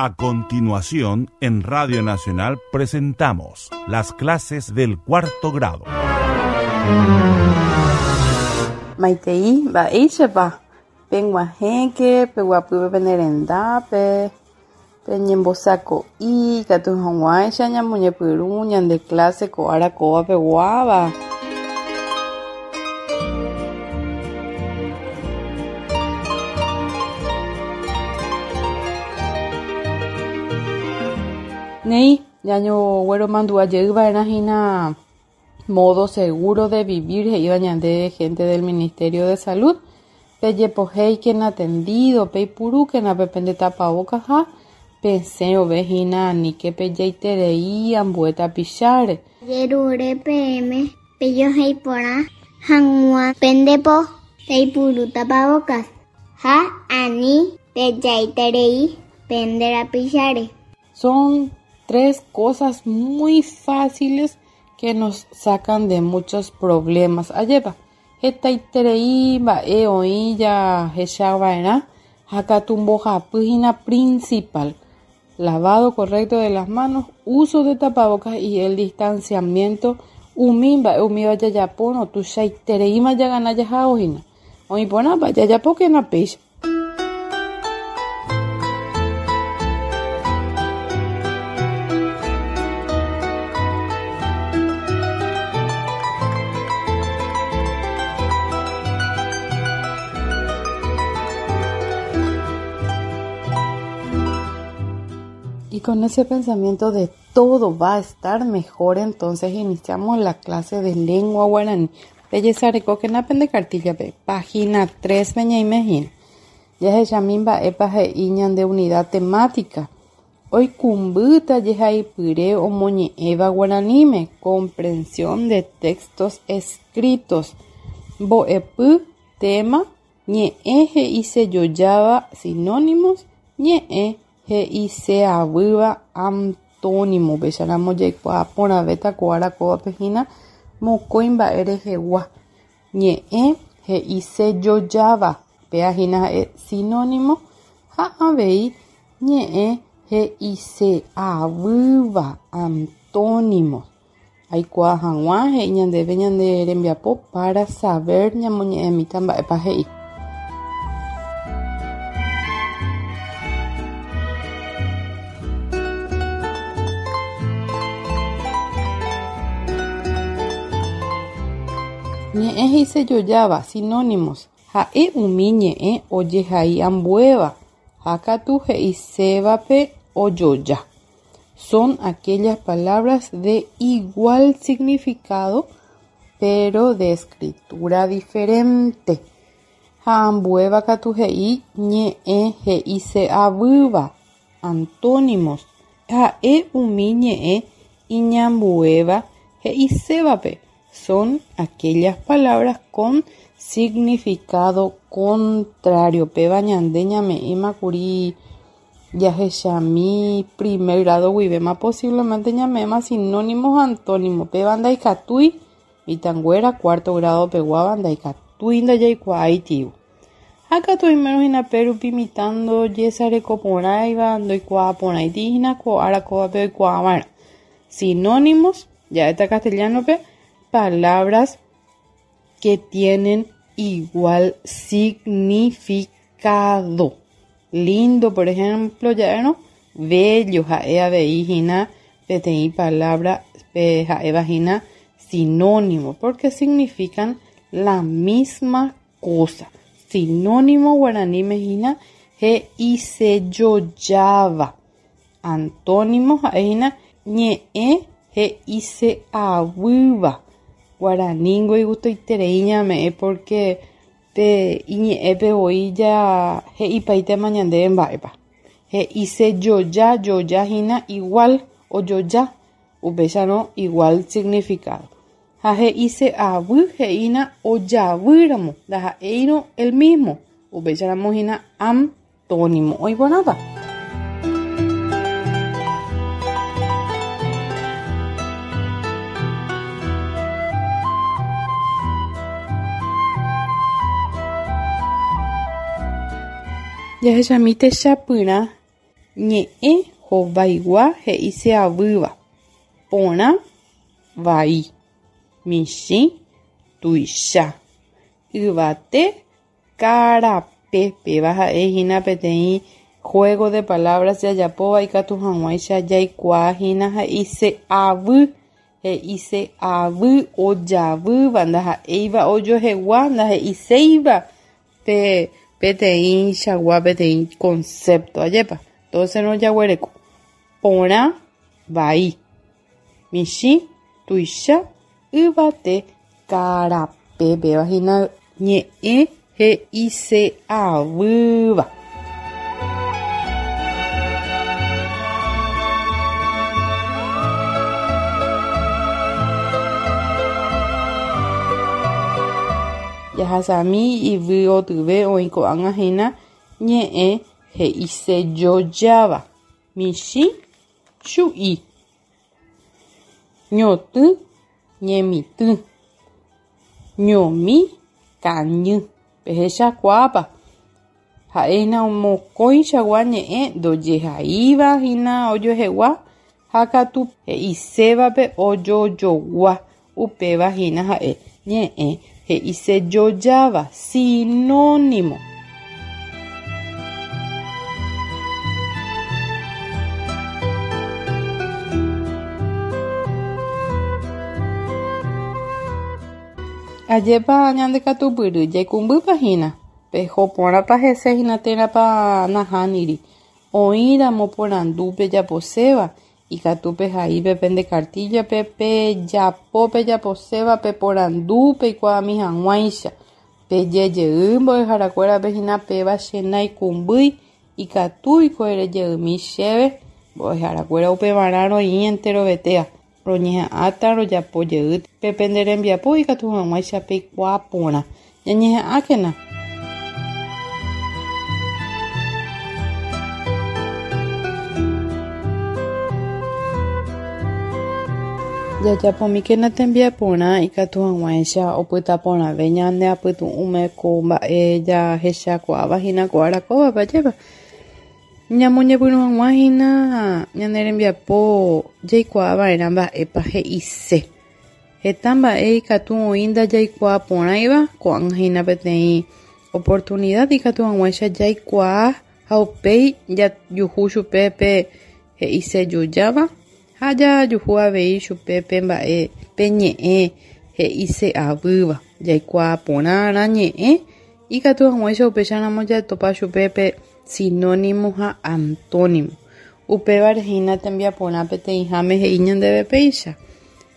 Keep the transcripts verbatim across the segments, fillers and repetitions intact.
A continuación, en Radio Nacional presentamos las clases del cuarto grado. Maitei, mba'éichapa peg̃uahẽke, peguapýpe pene rendápe, peñembosako'i ikatu hag̃uáicha ñamoñepyrũ ñande clase ko ára kóva peguáva. Néi, ñañogueromandu'ajeyva'erã hína modo seguro de vivir he'íva ñande gente del Ministerio de Salud. Pejepohéikena tendido, peipurúkena pepende tapabocas ha pesẽrove hína aníke pejaiterei ambue tapicháre. Jerure peẽme pejoheiporã hag̃ua pendepo peipuru tapabocas ha ani pejaiterei pende rapicháre. Son tres cosas muy fáciles que nos sacan de muchos problemas. Ajépa, hetaiterei mba'e oĩ jahechava'erã ha katu mbohapy hína principal. Lavado correcto de las manos, uso de tapabocas y el distanciamiento. Umi mba'e umíva jajapórõ tuichaitereíma jagana jahao hína. Oĩporãpa jajapókena péicha. Y con ese pensamiento de todo va a estar mejor, entonces iniciamos la clase de lengua guaraní. Pejesarekókena pende cartilla-pe, página tres peñaime hína. Jahechami mba'épa he'i ñande unidad temática. Oikũmbýta jehaipyre omoñe'ẽva guaraníme, comprensión de textos escritos. Mbo'epy, tema, ñe'ẽ he'isejojáva, sinónimos, ñe'ẽ he'iseavýva, antónimo. Upéicharamo jaikuaa porãvéta ko ára kóvape hína mokõi mba'e rehegua. Ñe'ẽ he'isejojáva, péa hína ha'e sinónimo ha avei ñe'ẽ he'iseavýva, antónimo. Aikuaa hag̃ua he'i ñandéve ñande rembiapo para saber ñamoñe'ẽmíta mba'épa he'i. Ñe'ẽ he'isejojáva, sinónimos. Ha'e umi ñe'ẽ ojehai ambuéva ha katu he'isévape ojoja. Son aquellas palabras de igual significado, pero de escritura diferente. Ha ambuéva katu he'i ñe'ẽ he'iseavýva, antónimos. Ha'e umi ñe'ẽ iñambuéva he'isévape. Son aquellas palabras con significado contrario. Péva ñande ñame'ẽma kuri jahechami primer grado guivéma posiblemente ñame'ẽma sinónimos antónimos. Péva ndaikatúi mitãnguéra cuarto grado peguáva ndaikatúi ndajaikuaáitiva. Ha katu oimérõ hína pérupi mitã ndojesarekoporãiva ndoikuaaporãiti hína ko ára kóvape oikuaava'erã. Sinónimos, ja'éta castellano-pe, palabras que tienen igual significado. Lindo, por ejemplo, ya no, bello, ha'e avei hína peteĩ palabra pe ha'éva hína sinónimo, porque significan la misma cosa. Sinónimo guaraníme hína he'isejojáva. Antónimo ha'e hína ñe'ẽ he'iseavýva. Guaraningo igustoiterei ñame'ẽ porque pe iñe'ẽpe voi ja he'ipaitéma ñandéve mba'épa. He'isejoja, joja hína igual ojoja, upéicharõ igual significado. Ha he'iseavy he'ína ojavýramo, ndaha'éirõ el mismo, upéicharamo hína antónimo. Oĩporãpa. Jahechamíte chapyrã Ñe'ẽ hovaigua he'iseavýva. Porã, vai. Michĩ, tuicha. Yvate, karape. Péva ha'ehína peteĩ juego de palabras jajapóva ikatu hag̃uáicha jaikuaahína he'ise'avy. He'ise'avy ojavýva ndaha'éiva ojohegua ndahe'iséiva pe peteĩchagua peteĩ concepto. Ajépa. Entonces rojaguereko. Porã, vai. Michĩ, tuicha, yvate, karape. Péva hína ñe'ẽ he'ise'avýva. Jahasami yvyotyve oĩ ko'ág̃a hína ñe'ẽ he'isejojáva. Michĩ, chu'i. Ñotỹ, ñemitỹ. Ñomi, kañy. Pehechakuaápa. Ha'éna mokõichagua ñe'ẽ ndojehaíva hína ojoehegua ha katu he'isévape ojojogua. Upéva hína ha'e ñe'ẽ he'isejojáva sinónimo. Ajépa ñandekatupyry jaikũmbýpa hína. Peho porãpa hese hína térãpa nahániri. Oĩramo porandu pejaposéva ikatu pehaípe pende kartíllape pejapo pejaposéva peporandu peikuaami hag̃uáicha. Pejejey mbo'eharakuérape hína péva che naikũmbýi ikatúiko erejeymi chéve mbo'eharakuéra upevarã roĩ enterovetéa. Roñeha'ãta rojapojey pe pende rembiapo ikatu hag̃uáicha peikuaa porã. Ñañeha'ãkena. Jajapomíkena tembiaporã ikatu hag̃uáicha opytaporãve ñande apytu'ũme ko mba'e jahechakuaáva hína ko arakóvape ajépa. Ñamoñepyrũ hag̃ua hína ñane rembiapo jaikuaava'erã mba'épa he'ise. Heta mba'e ikatu oĩ ndajaikuaaporãiva ko'ág̃a hína peteĩ oportunidad ikatu hag̃uáicha jaikuaa ha upéi jajuhu chupe pe he'isejojáva ha jajuhu avei chupe pe mba'e pe ñe'ẽ he'ise'avýva. Jaikuaaporãrã ñe'ẽ ikatu hag̃uáicha upéicharamo jatopa chupe pe sinónimo ha antónimo. Upévare hína tembiaporã peteĩháme he'i ñandéve péicha.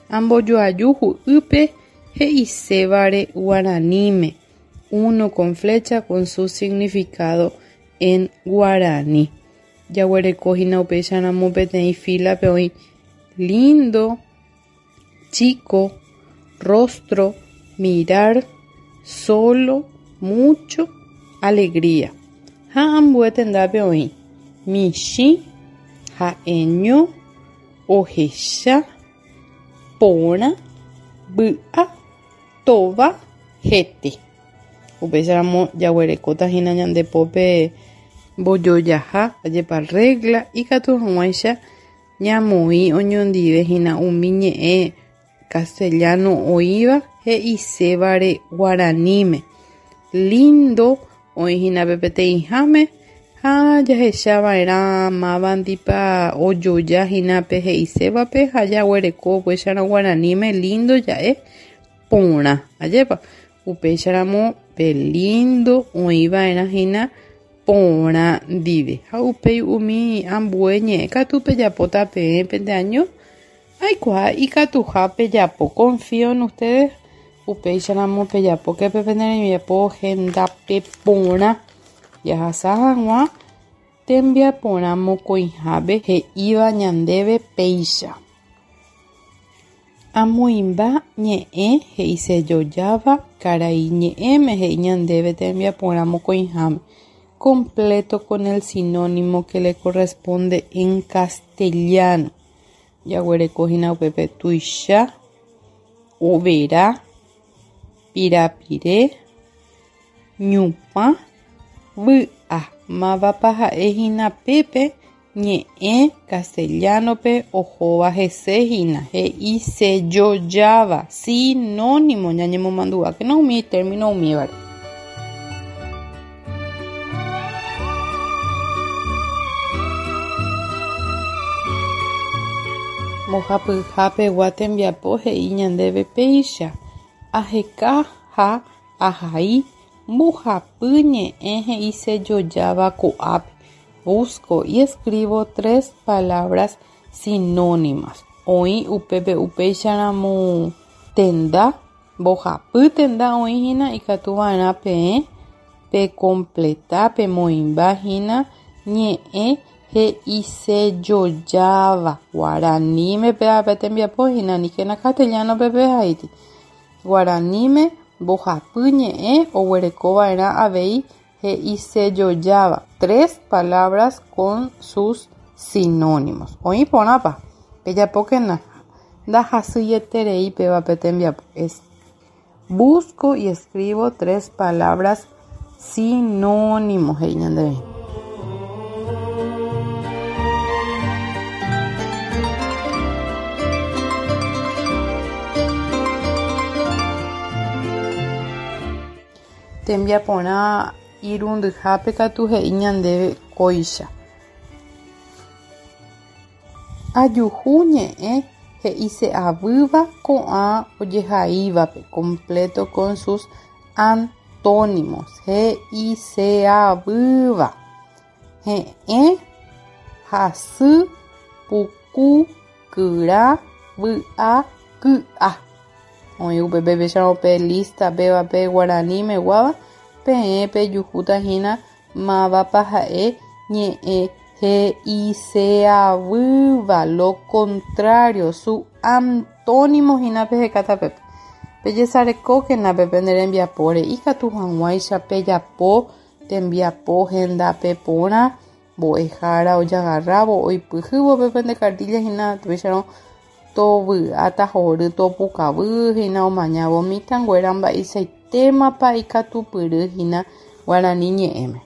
Ambojoaju hu'ýpe he'isévare guaraníme. Uno con flecha con su significado en guaraní. Jaguereko hína upéicharamo peteĩ fila-pe oĩ lindo, chico, rostro, mirar, solo, mucho, alegría. Ha ambue tendápe oĩ michĩ, ha'eño, ohecha, porã, vy'a, tova, hete. Upéicharamo jaguerekóta hína ñande pópe mbojojaha ajépa regla ikatu hag̃uáicha ñamoĩ oñondive hína umi ñe'ẽ castellano oĩva he'isévare guaraníme. Lindo oĩ hína pe peteĩháme ha jahechava'erã mávandipa ojoja hína pe he'isévape ha jaguereko upéicharõ guaraníme lindo ja'e porã. Ajépa upéicharamo pe lindo oĩva'erã hína porã ndive. Ha upéi umi ambue ñe'ẽ katu pejapóta peẽ pendeaño aikuaa ikatuha pejapo. Confío en ustedes. Upéicharamo pejapóke pe pende rembiapo hendápe porã. Jahasa hag̃ua tembiaporã mokõihápe he'íva ñandéve péicha. Amoĩmba ñe'ẽ he'isejojáva karai ñe'ẽme he'i ñandéve tembiaporã mokõiháme. Completo con el sinónimo que le corresponde en castellano. Jaguereko hína upépe tuicha, overa, pirapire, ñupã, vy'a. Mávapa ha'e hína pépe Ñe'ẽ castellano-pe ohóva hese hína he'isejojáva sinónimo ñañemomandu'ákena umi término umívare. Mbohapyhapegua tembiapo he'i ñandéve péicha aheka ha ahai mbohapy ñe'ẽ he'isejojáva ko'ápe. Busco y escribo tres palabras sinónimas. Oĩ upépe upéicharamo tenda mbohapy tenda oĩ hína ikatuva'erã peẽ pecompleta pemoĩmba hína ñe'ẽ he'isejojáva guaraníme pévape tembiapo hína aníkena castellano-pe pehaíti. Guaraníme mbohapy ñe'ẽ oguerekova'erã avei he'isejojáva tres palabras con sus sinónimos. Oĩ porãpa pejapókena ndahasyeterei pévape tembiapo. Es busco y escribo tres palabras sinónimos he'i ñandéve. Tembiaporã irundyhápe katu he'i ñandéve kóicha. Ajuhu ñe'ẽ he'ise'avýva ko'ã ojehaívape completo con sus antónimos he'ise'avýva he'ẽ, hasy, puku, kyra, vy'a, ky'a. Oĩ upépe péicharõ pe lista pévape guaranímeguáva peẽ pejuhúta hína mávapa ha'e ñe'ẽ he'ise'avýva lo contrario su antónimo hína pehekáta pépe. Pejesarekókena pépe nde rembiapóre ikatu hag̃uáicha pejapo tembiapo hendápe porã mbo'ehára ojagarrávo oipyhývo pépe nde cartilla hína péicharõ tovy'áta hory topukavy hína omañávo mitãnguéra mba'eichaitémapa ikatupyry hína guarani ñe'ẽme.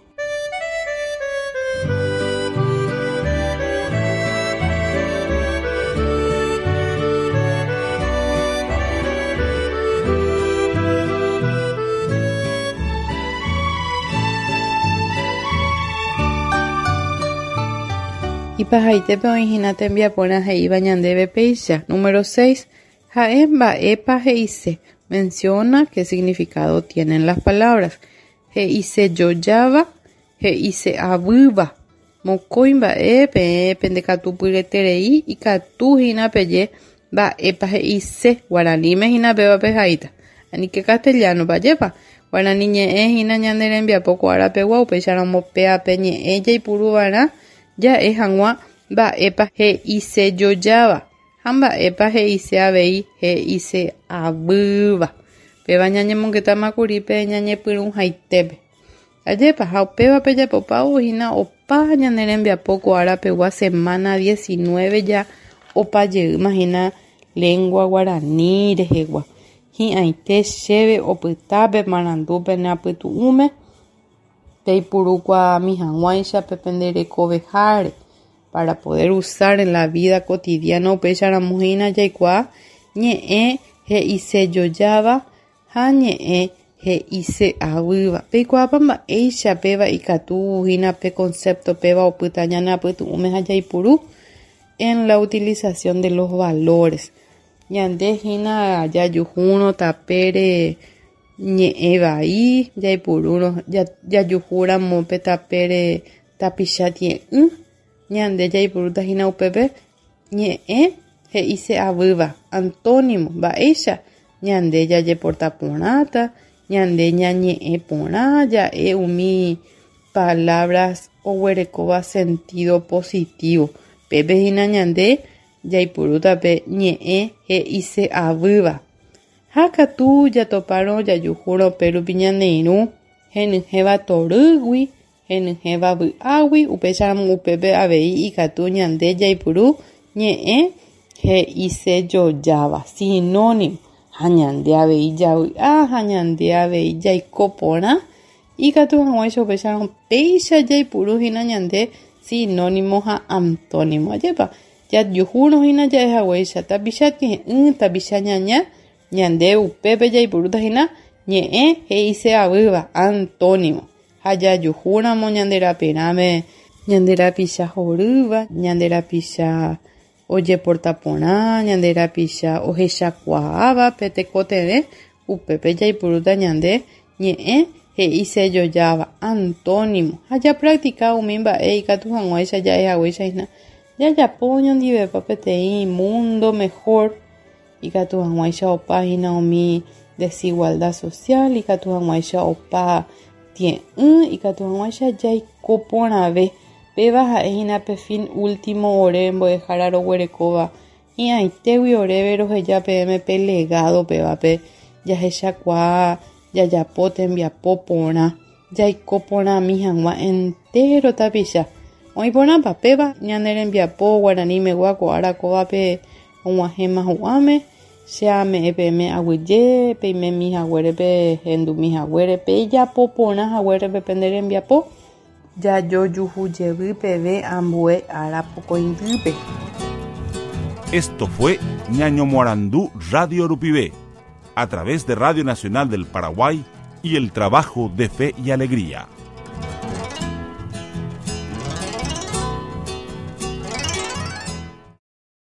Ipahaitépe oĩ hína tembiaporã he'íva ñandéve péicha. Número seis. Ha'e mba'épa he'ise. Menciona qué significado tienen las palabras. He'isejojáva, he'ise'avýva. Mokõi mba'e peẽ pendekatupyreterei ikatu hína peje mba'épa he'ise guaraníme hína péva pehaíta. Aníke castellano pajépa. Guarani ñe'ẽ hína ñande rembiapo ko árapegua upéicharamo péape ñe'ẽ jaipuruva'erã ja'e hag̃ua mba'épa he'isejojáva ha mba'épa he'ise avei he'ise'avýva. Péva ñañemongetámakuri pe ñañepyrũhaitépe. Ajépa ha upéva pejapopávo hína opa ñane rembiapo ko árapegua semana diecinueve ja opa jeýma hína lengua guarani rehegua. Hi'ãite chéve opytápe marandúpe neapytu'ũme peipurúkuaami hag̃uáicha pependerekoveháre para poder usar en la vida cotidiana upéicharamo hína jaikuaa ñe'ẽ he'isejojáva ha ñe'ẽ he'ise'avýva. Peikuaápa mba'éicha péva ikatu hína pe concepto péva opyta ñaneapytu'ũme ha jaipuru en la utilización de los valores. Ñande hína jajuhúrõ tapére ñe'ẽ vai jaipurúrõ jajuhúramo pe tapére tapicha tie'ỹ ñande jaipurúta hína upépe ñe'ẽ he'ise'avýva antónimo mba'éicha ñande jajeporta porãta ñande ñañe'ẽ porã ja'e umi palabras oguerekóva sentido positivo pépe hína ñande jaipurúta pe ñe'ẽ he'ise'avýva. Ha katu jatopárõ jajuhúrõ pérupi ñane irũ henyhẽva torýgui henyhẽva vy'águi upéicharamo upépe avei ikatu ñande jaipuru ñe'ẽ he'isejojáva sinónimo ha ñande avei javy'a ha ñande avei jaiko porã ikatu hag̃uáicha upéicharõ péicha jaipuru hína ñande Sinónimo ha antónimo. Ajépa jajuhúrõ hína ja'ehaguéicha tapicha tie'ỹ, tapicha ñaña, ñande upépe jaipurúta hína ñe'ẽ he'ise'avýva, antónimo. Ha jajuhúramo ñande raperãme ñande rapicha horýva, ñande rapicha ojeporta porã, ñande rapicha ohechakuaáva pe tekotevẽ, upépe jaipurúta ñande ñe'ẽ he'isejojáva, antónimo. Ha japractica umi mba'e ikatu hag̃uáicha ja'ehaguéicha hína jajapo oñondivepa peteĩ mundo mejor, ikatu hag̃uáicha opa hína umi desigualdad social, ikatu hag̃uáicha opa tie'ỹ, ikatu hag̃uáicha jaiko porãve. Péva ha'e hína pe fin último ore mbo'ehára roguerekóva hi'ãitégui oréve roheja peẽme pe legado pévape jahechakuaa jajapo tembiapo porã, jaiko porãmi hag̃ua entero tapicha. Oĩ porãpa péva ñane rembiapo guaranímegua ko ára kóvape og̃uahẽma hu'ãme, che ame'ẽ peẽme aguyje, peimemi haguérepe, hendumi haguérepe, ijapo porã haguérepe pende rembiapo, jajojuhujevy peve ambue ára pokõindýpe. Esto fue Ñañomoarandú Radio Rupive, a través de Radio Nacional del Paraguay y el trabajo de Fe y Alegría.